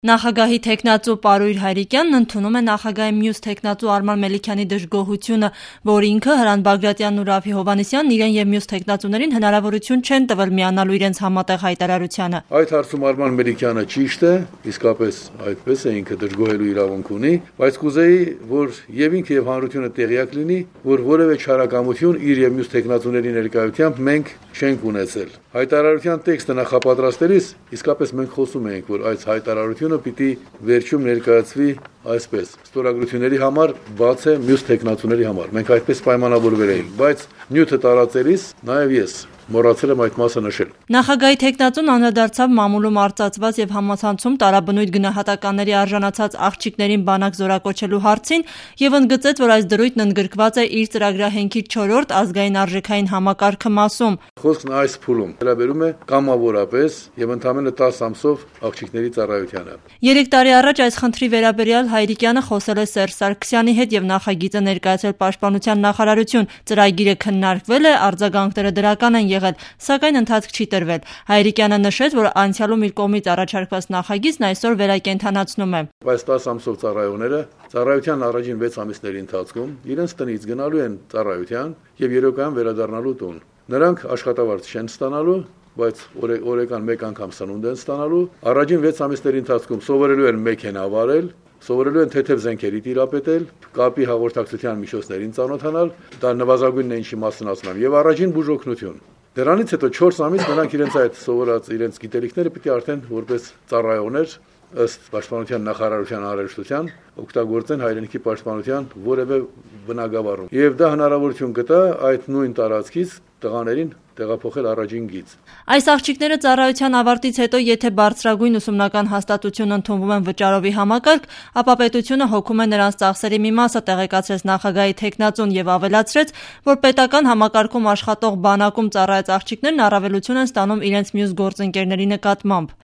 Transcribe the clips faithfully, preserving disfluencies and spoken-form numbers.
Նախագահի թեկնածու Պարույր Հայրիկյանն ընդունում է նախագահի մյուս թեկնածու Արման Մելիքյանի դժգոհությունը, որ ինքը Հրանտ Բագրատյանն ու Ռաֆֆի Հովհաննիսյանն իրեն եւ մյուս թեկնածուներին հնարավորություն չեն տվել միանալու իրենց համատեղ հայտարարությանը։ Այդ հարցում Արման Մելիքյանը ճիշտ է, իսկապես այդպես է, ինքը դժգոհելու իրավունք ունի, բայց կուզեի, որ եւ ինքը եւ հանրությունը տեղյակ լինի, որ որևէ չարակամություն իր եւ մյուս թեկնածուների ներկայությամբ մենք չենք ունեցել։ Հայտարարության տեքստը նախապատրաստելիս իսկապես մենք խոսում ենք, որ այս հայտարարությունը պիտի վերջում ներկայացվի այսպես. ստորագրությունների համար բաց է մյուս թեկնածուների համար։ Մենք այդպես պայմանավորվել էինք, բայց նյութը տարածելիս նաև ես մոռացել եմ այդ մասը նշել։ Նախագահի թեկնածուն անդրադարձավ մամուլում արծարծված եւ համացանցում տարաբնույթ գնահատականների արժանացած աղջիկներին բանակ զորակոչելու հարցին եւ ընդգծեց, որ այս դրույթն ընդգրկված է իր ծրագրահենքի չորրորդ ազգային արժեքային համակարգը մասում։ Խոսքն այս փուլում վերաբերում է կամավորապես եւ ընդամենը տասը ամսով աղջիկների ծառայությանը։ Երեք տարի առաջ այս խնդրի վերաբերյալ Հայրիկյանը խոսել է Սերժ Սարգսյանի հետ եւ նախագիծը ներկայացել Պաշտպանության նախարարություն։ Ծրագիրը քննարկվել է, արձագանքները դրական են եղել, սակայն ընթացք չի տրվել։ Հայրիկյանը նշեց, որ անցյալում իր կողմից առաջարկված նախագիծն այսօր վերակենդանացնում է։ Բայց տասը ամսով ծառայողները ծառայության առաջին վեց ամիսների ընթացքում իրենց տնից գնալու են ծառայության եւ երեկոյան վերադառնալու տուն։ Նրանք աշխատավարձ չեն ստանալու, բայց օրեկան մեկ անգամ սնունդ են ստանալու։ Առաջին վեց ամիսների ընթացքում սովորելու են մեքենա վարել, սովորելու են թեթև զենքերի տիրապետել, կապի հաղորդակցության միջոցներին ծանոթանալ, դա նվազագույնն է ինչի մասնացնամ, եւ առաջին բուժօգնություն։ Դրանից հետո չորս ամիս նրանք իրենց այդ սովորած իրենց գիտելիքները պիտի արդեն որպես ծառայողներ ըստ Պաշտպանության նախարարության անհրաժեշտության օգտագործեն հայրենիքի պաշտպանության որևէ բնագավառում։ Եվ դա հնարավորություն կտա այդ նույն տարածքից տղաներին տեղափոխել առաջին գիծ։ Այս աղջիկները ծառայության ավարտից հետո, եթե բարձրագույն ուսումնական հաստատություն ընդունվում են վճարովի համակարգ, ապա պետությունը հոգում է նրանց ծախսերի մի մասը, տեղեկացրեց նախագահի թեկնածուն եւ ավելացրեց, որ պետական համակարգում աշխատող բանակում ծառայած աղջիկներն առավելություն են ստանում իրենց մյուս գործընկերների նկատմամբ։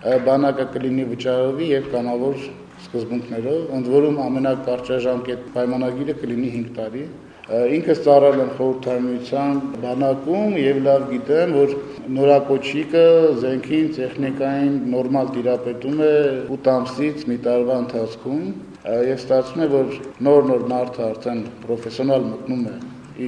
Բանակը կլինի վճարովի եւ կամավոր սկզբունքներով, ընդ որում ամենակարճաժամկետ պայմանագիրը կլինի հինգ տարի։ Ինքս ծառայել եմ խորհրդարանության բանակում եւ լավ գիտեմ, որ նորակոչիկը զենքին, տեխնիկային նորմալ տիրապետում է ութ ամսից մի տարվա ընթացքում եւ ստացվում է, որ նոր-նոր մարդը արդեն պրոֆեսիոնալ մտնում է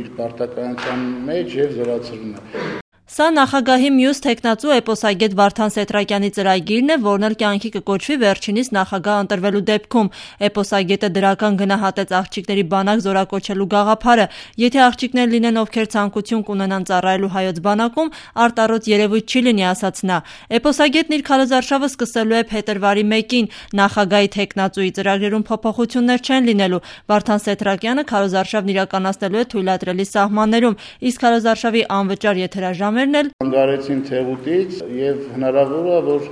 իր պարտականության մեջ եւ զորացվում է։ Սա նախագահի մյուս թեկնածու էպոսագետ Վարդան Սեթրակյանի ծրագիրն է, որն էլ կյանքի կկոչվի վերջինիս նախագահ ընտրվելու դեպքում։ Էպոսագետը դրական գնահատեց աղջիկների բանակ զորակոչելու գաղափարը։ Եթե աղջիկներ լինեն, ովքեր ցանկություն կունենան ծառայելու հայոց բանակում, արտառոց երևույթ չի լինի, ասաց նա։ Էպոսագետն իր քարոզարշավը սկսելու է փետրվարի մեկին։ Նախագահի թեկնածուի ծրագրերում փոփոխություններ չեն լինելու։ Վարդան Սեթրակյանը քարոզարշավն իրականացնելու է թույլատրելի սահմաններում, իսկ քարոզարշավի անվճար եթերաժամ Հանգարեցին Թեղուտից եւ հնարավոր է, որ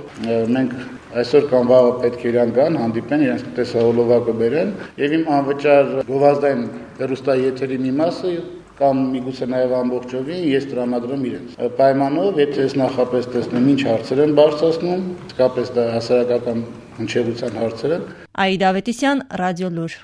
մենք այսօր կամ վաղը պետք է իրան գան, հանդիպեն, իրենց տեսահոլովակը բերեն եւ իմ անվճար գովազդային հեռուստաեթերի մի մասը կամ միգուցե նաեւ ամբողջովին ես տրամադրեմ իրենց։ Պայմանով, եթե ես նախապես տեսնեմ ինչ հարցեր են բարձրացնում, իսկապես դա հասարակական հնչեղության հարցեր են։ Աիդա Ավետիսյան, Ռադիո Լուր։